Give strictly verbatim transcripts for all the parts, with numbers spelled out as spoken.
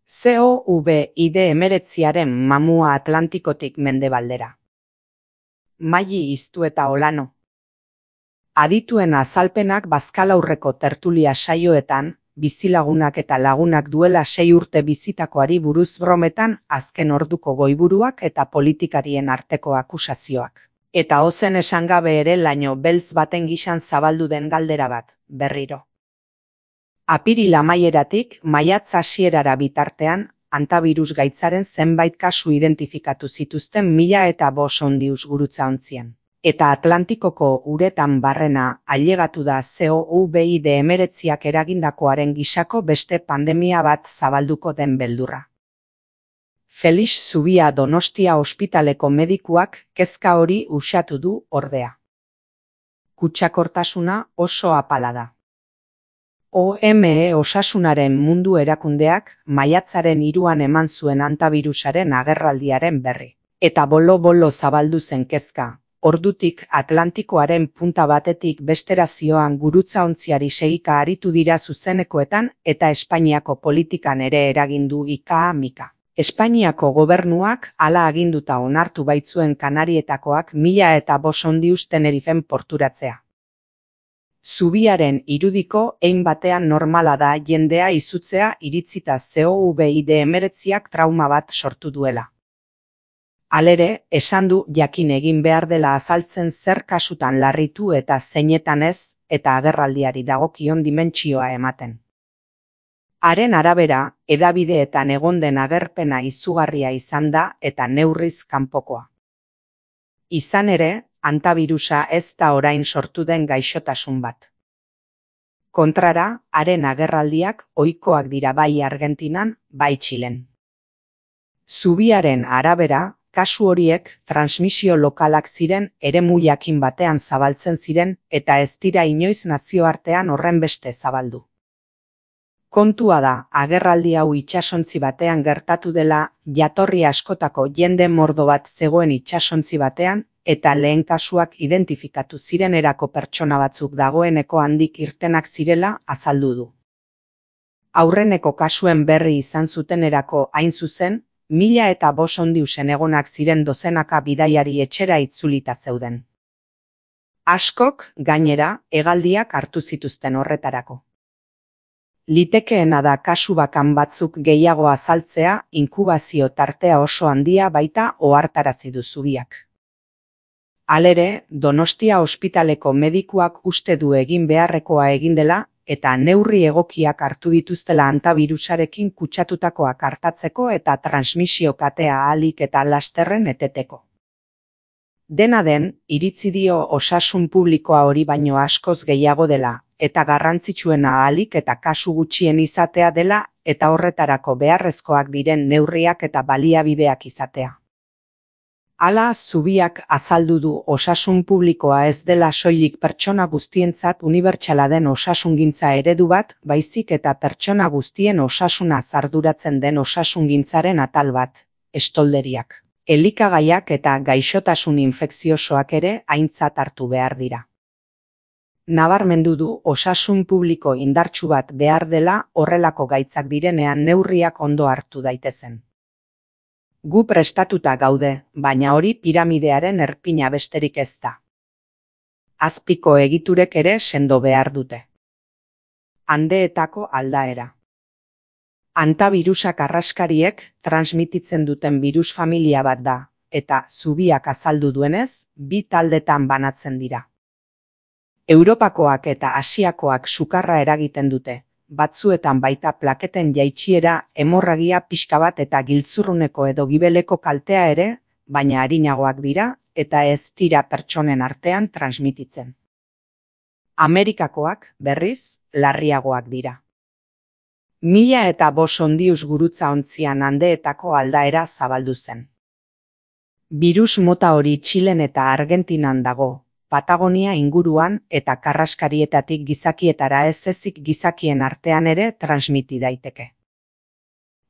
C O V hemeretziaren mamua Atlantikotik mendebaldera. Maili iztu eta olano. Adituen azalpenak bazkalaurreko tertulia saioetan, bizilagunak eta lagunak duela sei urte bizitakoari buruz brometan azken orduko goiburuak eta politikarien arteko akusazioak. Eta ozen esan gabe ere laino beltz baten gisan zabaldu den galdera bat, berriro. Apiril amaieratik maiatz hasierara bitartean, antabirus gaitzaren zenbait kasu identifikatu zituzten mila eta bost ondius gurutzaontzian. Eta Atlantikoko uretan barrena ailegatu da C O V hemeretziak eragindakoaren gisako beste pandemia bat zabalduko den beldurra. Felix Zubia Donostia ospitaleko medikuak kezka hori uxatu du ordea. Kutsakortasuna oso apala da. O M E Osasunaren Mundu Erakundeak maiatzaren hiruan eman zuen antabirusaren agerraldiaren berri. Eta bolo-bolo zabaldu zen kezka. Ordutik Atlantikoaren punta batetik bestera zioan gurutzaontziari segika aritu dira zuzenekoetan eta Espainiako politikan ere eragindu ika-mika. Espainiako gobernuak hala aginduta onartu baitzuen Kanarietakoak mila eta bost ondius Tenerifen porturatzea. Zubiaren irudiko ein batean normala da jendea izutzea iritzita C O V hemeretziak trauma bat sortu duela. Halere, esan du jakin egin behar dela azaltzen zer kasutan larritu eta zeinetan ez, eta agerraldiari dagokion dimentsioa ematen. Haren arabera, hedabideetan egon den agerpena izugarria izan da eta neurriz kanpokoa. Izan ere, antabirusa ez da orain sortu den gaixotasun bat. Kontrara, haren agerraldiak ohikoak dira bai Argentinan, bai Txilen. Zubiaren arabera, kasu horiek transmisio lokalak ziren eremu jakin batean zabaltzen ziren eta ez dira inoiz nazioartean horrenbeste zabaldu. Kontua da, agerraldi hau itsasontzi batean gertatu dela jatorri askotako jende mordo bat zegoen itsasontzi batean eta lehen kasuak identifikatu zirenerako pertsona batzuk dagoeneko handik irtenak zirela azaldu du. Aurreneko kasuen berri izan zutenerako hain zuzen, mila eta bost ondiusen egonak ziren dozenaka bidaiari etxera itzulita zeuden. Askok, gainera, hegaldiak hartu zituzten horretarako. Litekeena da kasu bakan batzuk gehiago azaltzea, inkubazio tartea oso handia baita ohartarazi du Zubiak. Halere, Donostia ospitaleko medikuak uste du egin beharrekoa egin dela, eta neurri egokiak hartu dituztela antabirusarekin kutsatutakoak hartatzeko eta transmisio katea ahalik eta lasterren eteteko. Dena den, iritzi dio osasun publikoa hori baino askoz gehiago dela, eta garrantzitsuena ahalik eta kasu gutxien izatea dela, eta horretarako beharrezkoak diren neurriak eta baliabideak izatea. Hala, Zubiak azaldu du osasun publikoa ez dela soilik pertsona guztientzat unibertsala den osasungintza eredu bat, baizik eta pertsona guztien osasuna arduratzen den osasungintzaren atal bat, estolderiak. Elikagaiak eta gaixotasun infekziosoak ere aintzat hartu behar dira. Nabarmendu du osasun publiko indartsu bat behar dela horrelako gaitzak direnean neurriak ondo hartu daitezen. Gu prestatuta gaude, baina hori piramidearen erpina besterik ez da. Azpiko egiturek ere sendo behar dute. Handeetako aldaera. Antabirusak arraskariek transmititzen duten birus familia bat da, eta Zubiak azaldu duenez, bi taldetan banatzen dira. Europakoak eta Asiakoak sukarra eragiten dute. Batzuetan baita plaketen jaitsiera, hemorragia pixka bat eta giltzurruneko edo gibeleko kaltea ere, baina arinagoak dira eta ez dira pertsonen artean transmititzen. Amerikakoak, berriz, larriagoak dira. Mila eta bost ondius gurutzaontzian handeetako aldaera zabaldu zen. Birus mota hori Txilen eta Argentinan dago. Patagonia inguruan eta karraskarietatik gizakietara ez ezik gizakien artean ere transmiti daiteke.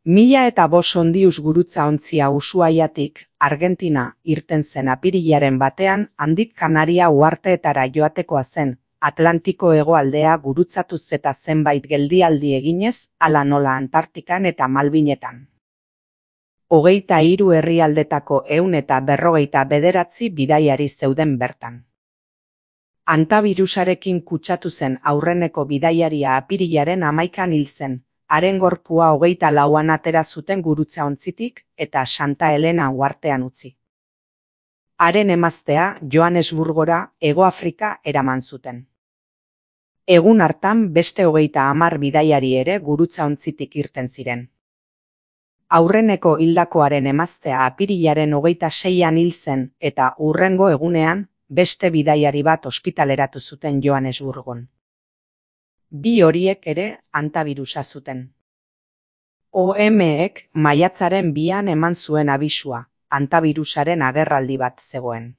Mila eta bost ondius gurutzaontzia Ushuaiatik, Argentina irten zen apirilaren batean handik Kanaria uharteetara joatekoa zen, Atlantiko hegoaldea gurutzatuz eta zenbait geldialdi eginez, hala nola Antartikan eta Malbinetan. Hogeita hiru herrialdetako ehun eta berrogeita bederatzi bidaiari zeuden bertan. Antabirusarekin kutsatu zen aurreneko bidaiaria apirilaren hamaikan hil zen, haren gorpua hogeita lauan atera zuten gurutzaontzitik eta Santa Helena uhartean utzi. Haren emaztea Johannesburgora, Hego Afrika eraman zuten. Egun hartan beste hogeita hamar bidaiari ere gurutzaontzitik irten ziren. Aurreneko hildakoaren emaztea apirilaren hogeita seian hil zen eta hurrengo egunean beste bidaiari bat ospitaleratu zuten Johannesburgon. Bi horiek ere antabirusa zuten. O M-ek maiatzaren bian eman zuen abisua, antabirusaren agerraldi bat zegoen.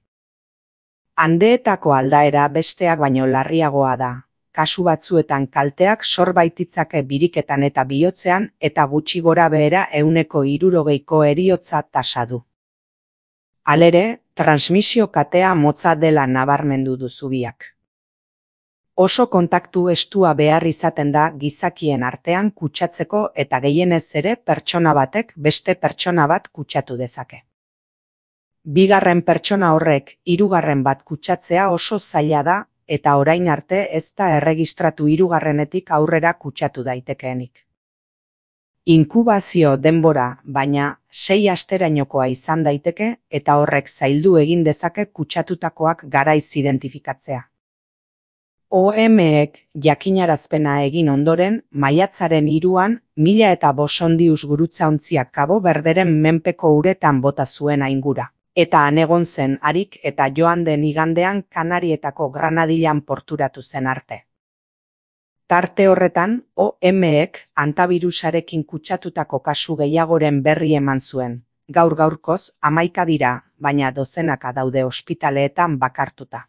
Handeetako aldaera besteak baino larriagoa da. Kasu batzuetan kalteak sor baititzake biriketan eta bihotzean eta gutxi gora behera ehuneko hirurogeiko heriotza tasa du. Halere, transmisio katea motza dela nabarmendu du zubiak. Oso kontaktu estua behar izaten da gizakien artean kutsatzeko eta gehienez ere pertsona batek beste pertsona bat kutsatu dezake. Bigarren pertsona horrek hirugarren bat kutsatzea oso zaila da, eta orain arte ez da erregistratu hirugarrenetik aurrera kutsatu daitekeenik. Inkubazio denbora, baina sei asterainokoa izan daiteke eta horrek zaildu egin dezake kutsatutakoak garaiz identifikatzea. O M-ek jakinarazpena egin ondoren, maiatzaren hiruan mila eta bosondius gurutzaontziak Kabo Berderen menpeko uretan bota zuen aingura. Eta han egon zen harik eta joan den igandean Kanarietako Granadilan porturatu zen arte. Tarte horretan, O M-ek antabirusarekin kutsatutako kasu gehiagoren berri eman zuen. Gaur gaurkoz, hamaika dira, baina dozenaka daude ospitaleetan bakartuta.